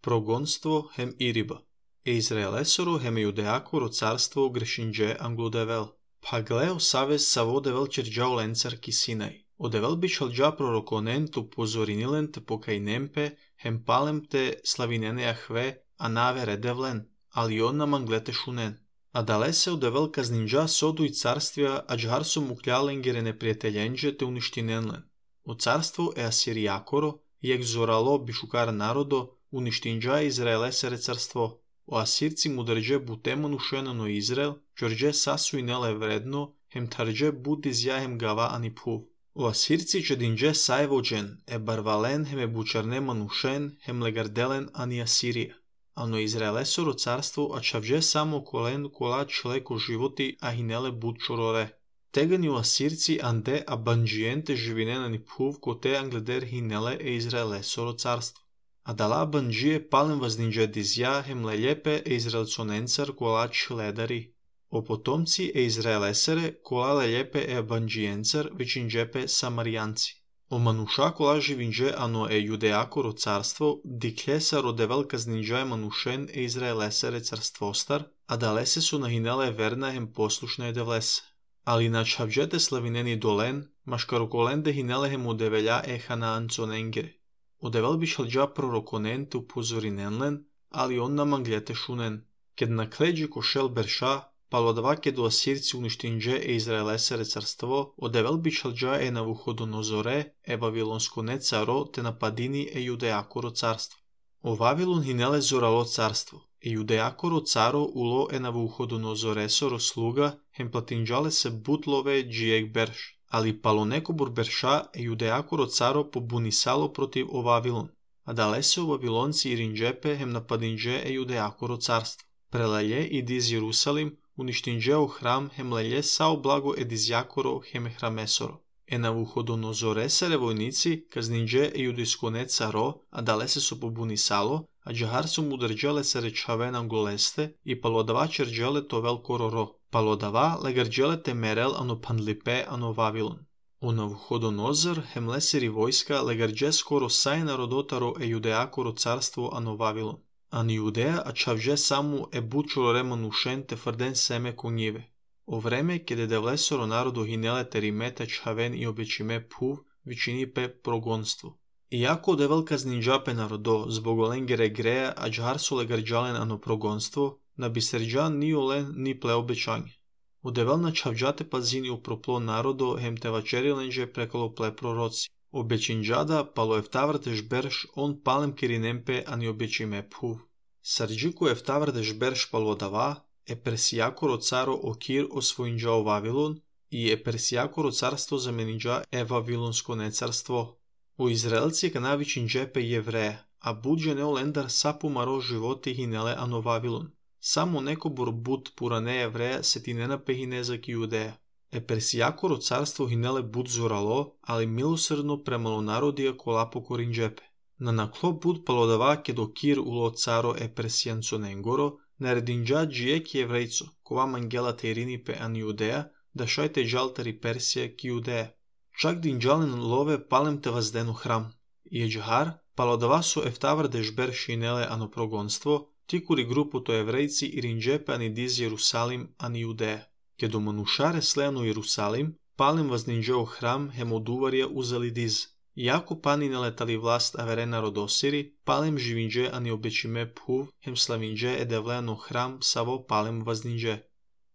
Прогонство хем Ириба. Израелесоро хем Иудеакоро царство грешиндже англодевел. Паглео савес саводевел черджао ленцар кисинай. Одевел бичалджа пророконен ту позоринилен те покайнемпе хем палемте славинене ахве анаве редевлен, алион манглете шунен. А дале се одевел казнинджа соду и царствия аджгарсо мукляленгере неприятелендже те уништиненлен. О царство е Асириакоро, ек зорало бишукар народо, уништинджа Израелесере царство. O asirci mu drže butemo nušenano Izrael, čorđe sasu i nele vredno, hem tarđe budi zjahem gava ani puv. O asirci čedinđe sajvođen, e barvalen hem e bučarnema nušen, hem legardelen ani Asirija. Ano Izraelesoro carstvo, a čavđe samo kolen kola čleko životi, a hinele bud čorore. Tegani o asirci ande a banđijente živinen ani puv, ko te angleder hinele e Izraelesoro carstvo. A dala banđije palem vazdinđe dizja hem leljepe e Izraelconencar kola čledari. O potomci e Izraelesere kola leljepe e banđijencar većinđepe Samarijanci. O manuša kola živinđe ano e Judeakoro carstvo diklesa rodevel kazdinđa manušen e Izraelesere carstvostar, a dalese su nahinele verna hem poslušne devlese. Ali na čavđete slavineni dolen, maškarokolende hinele hem udevelja e Hanaanconengere. Odevel bišalđa prorokonente upozorinenlen, ali on namanglete šunen. Ked na kleđi košel berša, palodava ked u asirci uništinđe e Izraelesere carstvo, odevel bišalđa e Navuhodonozore, e Vavilonskone caro, te napadini e Judeakoro carstvo. O Vavilon hinele zoralo carstvo, e Judeakoro caro ulo e Navuhodonozoresoro sluga, hem platinđale se butlove džijek berš. Ali palonekobur berša e Judeakoro caro pobunisalo protiv o Vavilon, a dale se o Vavilonci i rinđepe hem napadinđe e Judeakoro carstvo. Prelelje i diz Jerusalim, uništinđe o hram hem lelje sao blago e dizjakoro hem hramesoro. E Navuhodonozoresere vojnici kazninđe e Judejskone caro, a dale se su pobunisalo, a džahar su mu drđele se rečavenam goleste i palodava čerđele to velkororo. Palodava legarđele te merel ano Pandlipe ano Vavilon. O Navuhodonozor hem leseri vojska legarđe skoro saj narodotaro e Judeakoro carstvo ano Vavilon. Ani Judea a čavđe samu e bučuro manušen te frden seme konjive. O vreme kede devlesoro narodu hinele te rimete čhaven i obećime puv vičinipe progonstvo. Iako devel kaznindžape narodo zbog olengere greja a džar su legarđalen ano progonstvo, na biserđan ni olen ni ple obećanje. Odevel na čavđate pazini uproplo narodo hem te vačerilenđe prekolo ple proroci. Obećinđada palo eftavrteš berš on palem kirinempe ani obećime puv. Sarđiku eftavrteš berš palo dava, e Persijakoro caro okir osvojinđao Vavilon i e Persijakoro carstvo zameninđa e Vavilonskone carstvo. U Izraelci kanavičinđepe jevreja, a budže neolendar sapu maro životi hinele ano Vavilon. Samo neko bud purane jevreja se ti ne napehine za Judeja. E Persijakoro carstvo hinele bud zoralo, ali milosrdno premalo narodija kola pokorinđepe. Na naklo bud palodava kedo kir ulo caro e Persijanconengoro, naredinđa džijek jevrejco, kova mangela te irinipe an Judeja, da šajte džaltari Persija ki Judeja. Čak dinđalen love palem te vazdenu hram. I džahar, palodava su eftavrdeš berš hinele ano progonstvo, tikuri grupu to jevrejci i rinđepe ani diz Jerusalim ani Judeja. Kedo manušare slejano Jerusalim, palem vazdinđeo hram hem oduvarja uzeli diz. Iako pani ne letali vlast averena rodosiri, palem živinđe ani obećime puv hem slavinđe edevleno hram savo palem vazdinđe.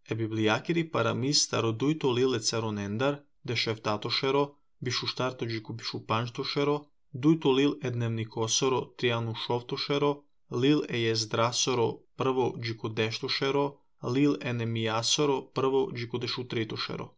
E biblijakiri paramis starodujto lile caronendar, dešeftatošero, bišuštartođiku bišupanjtošero, dujto lil ednemnikosoro trianu šovtošero, lil ejezdrasoro prvo džikodeštošero, lil enemijasoro prvo džikodešutritošero.